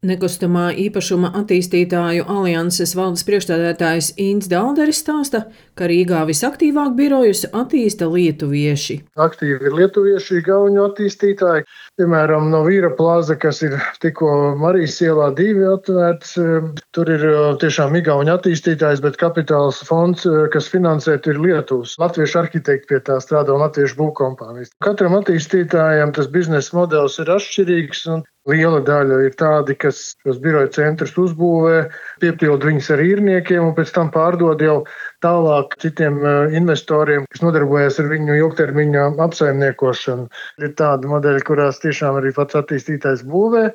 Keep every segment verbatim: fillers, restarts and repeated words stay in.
Nekustamā īpašuma attīstītāju alianses valdes priekšstādātājs Ints Dalderis stāsta, ka Rīgā visaktīvāk birojus attīsta lietuvieši. Aktīvi ir lietuvieši, igauņu attīstītāji. Piemēram, no Vīra plaza, kas ir tikko Marijas ielā divi atvērts, tur ir tiešām igauņu attīstītājs, bet kapitāls fonds, kas finansē, ir Lietuvas. Latviešu arhitekti pie tā strādā un latviešu būvkompānijas. Katram attīstītājam tas biznesa modelis ir atšķirīgs un liela daļa ir tādi, kas šos biroju centrus uzbūvē, piepild viņus ar īrniekiem un pēc tam pārdod jau tālāk citiem investoriem, kas nodarbojas ar viņu ilgtermiņā apsaimniekošanu. Ir tādi modeļi, kurās tiešām arī pats attīstītājs būvē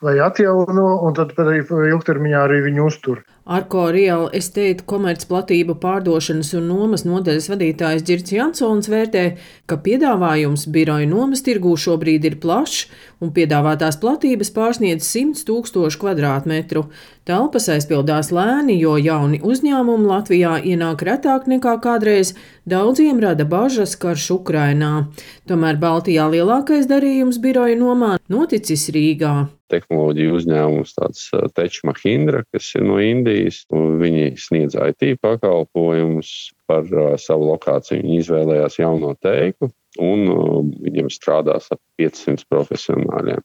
vai atjauno, un tad arī ilgtermiņā arī viņu uztur. Arko Real Estate komercplatību pārdošanas un nomas nodaļas vadītājs Ģirds Jansons vērtē, ka piedāvājums biroju nomas tirgū šobrīd ir plašs un piedāvātās platības pārsniedz simts tūkstošu kvadrātmetru. Telpas aizpildās lēni, jo jauni uzņēmumi Latvijā ienāk retāk nekā kādreiz, daudziem rada bažas karš Ukrainā. Tomēr Baltijā lielākais darījums biroju nomā noticis Rīgā. Tehnoloģiju uzņēmums tāds Tech Mahindra, kas ir no Indijas, un viņi sniedz I T pakalpojumus par uh, savu lokāciju. Viņi izvēlējās jauno teiku, un uh, viņiem strādās ap piecsimt profesionāļiem.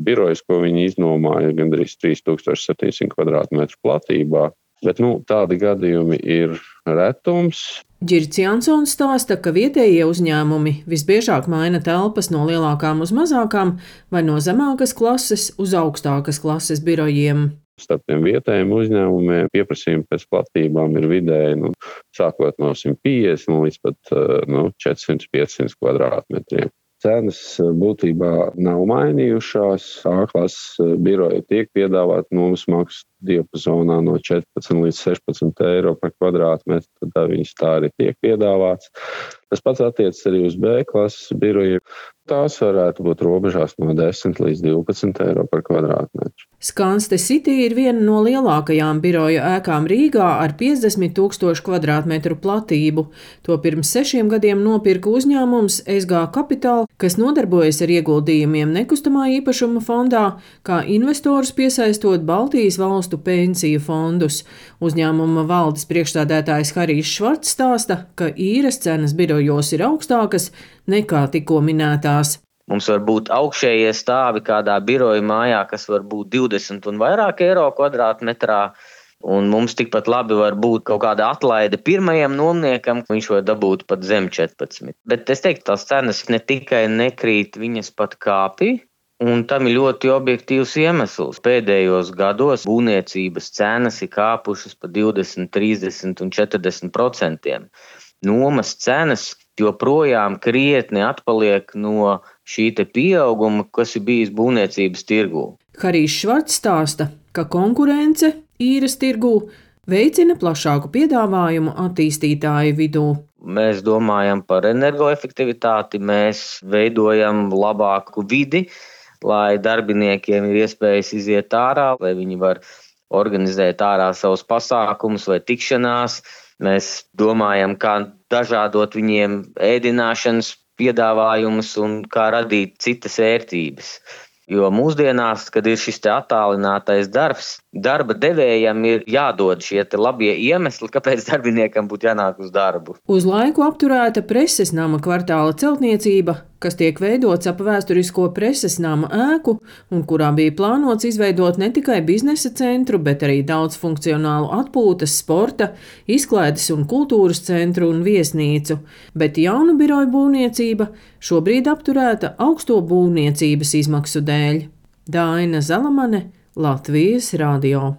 Birojas, ko viņi iznomāja, gandrīz trīs tūkstoši septiņsimt kvadrātmetru platībā, bet nu, tādi gadījumi ir retums. Ģirds Jansons stāsta, ka vietējie uzņēmumi visbiežāk maina telpas no lielākām uz mazākām vai no zemākas klases uz augstākas klases birojiem. Starp tiem vietējiem uzņēmumiem pieprasījumi pēc platībām ir vidēji, nu, sākot no simt piecdesmit līdz pat nu, četrsimt piecsimt kvadrātmetriem. Cenas būtībā nav mainījušās. A-klases biroja tiek piedāvāt nomas maksu diapazonā no četrpadsmit līdz sešpadsmit eiro par kvadrātmetru, tad viņas tā arī tiek piedāvāts. Tas pats attiecas arī uz B-klases birojiem. Tās varētu būt robežās no desmit līdz divpadsmit eiro par kvadrātmetru. Skanste City ir viena no lielākajām biroju ēkām Rīgā ar piecdesmit tūkstošu kvadrātmetru platību. To pirms sešiem gadiem nopirka uzņēmums S G Capital, kas nodarbojas ar ieguldījumiem nekustamā īpašuma fondā, kā investors piesaistot Baltijas valstu pensiju fondus. Uzņēmuma valdes priekšstādātājs Harijs Švarts stāsta, ka īres cenas birojos ir augstākas nekā tikko minētās. Mums var būt augšējie stāvi kādā biroja mājā, kas var būt divdesmit un vairāk eiro kvadrātmetrā, un mums tikpat labi var būt kaut kāda atlaide pirmajam nomniekam, viņš var dabūt pat zem četrpadsmit. Bet es teiktu, tās cenas ne tikai nekrīt, viņas pat kāpj, un tam ir ļoti objektīvs iemesls. Pēdējos gados būvniecības cenas ir kāpušas pa divdesmit, trīsdesmit un četrdesmit procentiem. Nomas cenas joprojām krietni atpaliek no šī te pieauguma, kas ir bijis būvniecības tirgū. Harijs Švarts stāsta, ka konkurence īres tirgū veicina plašāku piedāvājumu attīstītāju vidū. Mēs domājam par energoefektivitāti, mēs veidojam labāku vidi, lai darbiniekiem ir iespējas iziet ārā, lai viņi var organizēt ārā savus pasākumus vai tikšanās. Mēs domājam, kā dažādot viņiem ēdināšanas piedāvājumus un kā radīt citas vērtības. Jo mūsdienās, kad ir šis te attālinātais darbs, darba devējam ir jādod šie te labie iemesli, kāpēc darbiniekam būtu jānāk uz darbu. Uz laiku apturēta preses nama kvartāla celtniecība, kas tiek veidots ap vēsturisko preses nama ēku un kurā bija plānots izveidot ne tikai biznesa centru, bet arī daudz funkcionālu atpūtas, sporta, izklaides un kultūras centru un viesnīcu. Bet jaunu biroju būvniecība šobrīd apturēta augsto būvniecības izmaksu dēļ. Daina Zalamane, Latvijas radio.